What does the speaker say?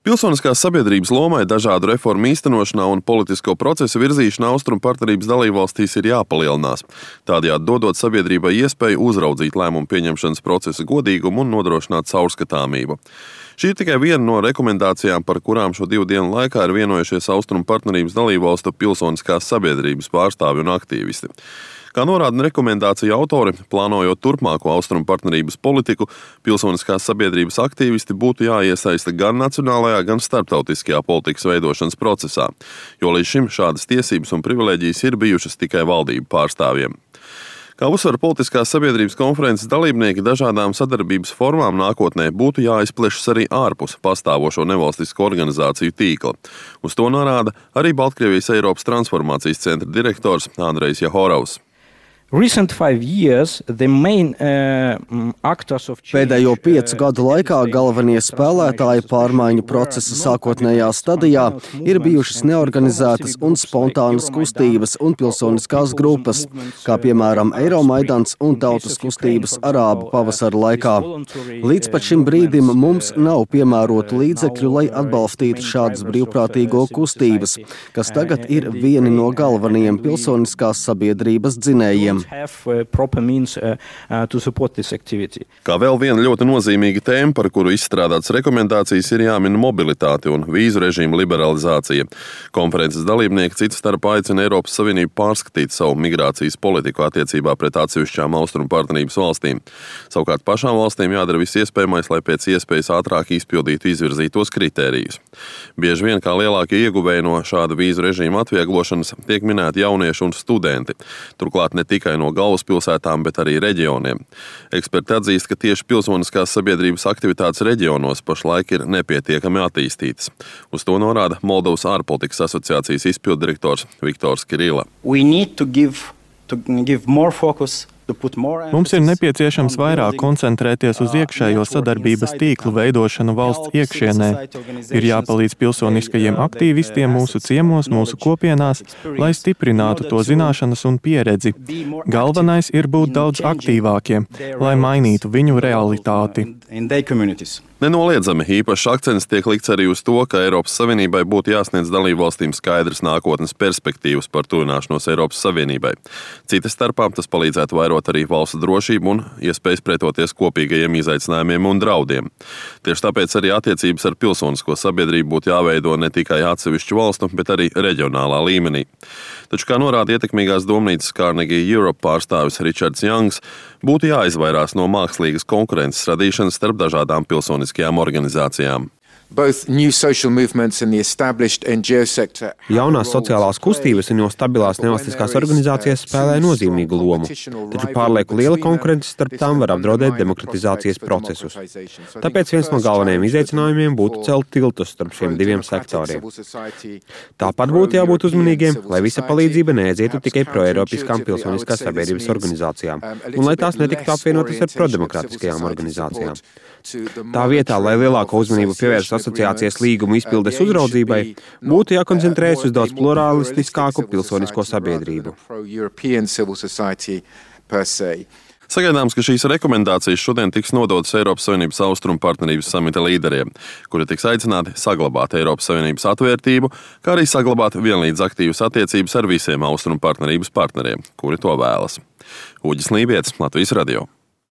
Pilsoniskās sabiedrības lomai dažādu reformu īstenošanā un politisko procesu virzīšanā austrumu partnerības dalībvalstīs ir jāpalielinās. Tādējādi dodot sabiedrībai iespēju uzraudzīt lēmumu pieņemšanas procesa godīgumu un nodrošināt caurskatāmību. Šī ir tikai viena no rekomendācijām, par kurām šo 2 dienu laikā ir vienojušies austrumu partnerības dalībvalstu pilsoniskās sabiedrības pārstāvji un aktīvisti. Kā norāda rekomendāciju autori, plānojot turpmāko austrumu partnerības politiku, pilsoniskās sabiedrības aktīvisti būtu jāiesaista gan nacionālajā, gan starptautiskajā politikas veidošanas procesā, jo līdz šim šādas tiesības un privilēģijas ir bijušas tikai valdību pārstāvjiem. Kā uzsver politiskās sabiedrības konferences dalībnieki, dažādām sadarbības formām nākotnē būtu jāizplešas arī ārpus pastāvošo nevalstisko organizāciju tīkla. Uz to norāda arī Baltkrievijas Eiropas transformācijas centra direktors Andrejs Jahorovs. Pēdējo 5 gadu laikā galvenie spēlētāji pārmaiņu procesa sākotnējā stadijā ir bijušas neorganizētas un spontānas kustības un pilsoniskās grupas, kā piemēram Eiromaidans un tautas kustības Arābu pavasara laikā. Līdz pat šim brīdim mums nav piemērotu līdzekļu, lai atbalstītu šādas brīvprātīgo kustības, kas tagad ir vieni no galvenajiem pilsoniskās sabiedrības dzinējiem. Kā vēl viena ļoti nozīmīga tēma, par kuru izstrādātas rekomendācijas, ir jāmin mobilitāte un vīzu režīma liberalizācija. Konferences dalībnieki citu starpā aicina Eiropas Savienību pārskatīt savu migrācijas politiku attiecībā pret atsevišķām austrumu partnerības valstīm. Savukārt pašām valstīm jādara viss iespējamais, lai pēc iespējas ātrāk izpildītu izvirzītos kritērijus. Bieži vien kā lielākie ieguvēji no šāda vīzu režīma atvieglošanas tiek minēti jaunieši un studenti. Turklāt ne tikai no galvaspilsētām, bet arī reģioniem. Eksperti atzīst, ka tieši pilsoniskās sabiedrības aktivitātes reģionos pašlaik ir nepietiekami attīstītas. Uz to norāda Moldovas ārpolitikas asociācijas izpilddirektors Viktors Kirila. Mums ir nepieciešams vairāk koncentrēties uz iekšējo sadarbības tīklu veidošanu valsts iekšienē. Ir jāpalīdz pilsoniskajiem aktīvistiem mūsu ciemos, mūsu kopienās, lai stiprinātu to zināšanas un pieredzi. Galvenais ir būt daudz aktīvākiem, lai mainītu viņu realitāti. Nenoliedzami īpašs akcents tiek likts arī uz to, ka Eiropas Savienībai būtu jāsniedz dalībvalstīm skaidras nākotnes perspektīvas par tuvināšanos Eiropas Savienībai. Citas starpā tas palīdzētu vairot arī valsts drošību un iespējas pretoties kopīgajiem izaicinājumiem un draudiem. Tieši tāpēc arī attiecības ar pilsonisko sabiedrību būtu jāveido ne tikai atsevišķu valstu, bet arī reģionālā līmenī. Taču, kā norāda ietekmīgās domnīcas Carnegie Europe pārstāvis Richards Youngs, būtu jāizvairās no mākslīgas konkurences radīšanas starp dažādām pilsoniskajām organizācijām. Jaunās sociālās kustības un jau stabilās nevalstiskās organizācijas spēlē nozīmīgu lomu, taču pārlieku liela konkurence starp tām var apdraudēt demokratizācijas procesus. Tāpēc viens no galvenajiem izaicinājumiem būtu celt tiltus starp šiem diviem sektoriem. Tāpat būtu jābūt uzmanīgiem, lai visa palīdzība neaizietu tikai proeiropiskām pilsoniskās sabiedrības organizācijām, un lai tās netiktu apvienotas ar prodemokrātiskajām organizācijām. Tā vietā, lai lielāko uzmanību pievērst asociācijas līgumu izpildes uzraudzībai, būtu jākoncentrējas uz daudz pluralistiskāku pilsonisko sabiedrību. Sagaidāms, ka šīs rekomendācijas šodien tiks nodotas Eiropas Savienības austrumu partnerības samita līderiem, kuri tiks aicināti saglabāt Eiropas Savienības atvērtību, kā arī saglabāt vienlīdz aktīvas attiecības ar visiem austrumu partnerības partneriem, kuri to vēlas. Uģis Lībietis, Latvijas radio.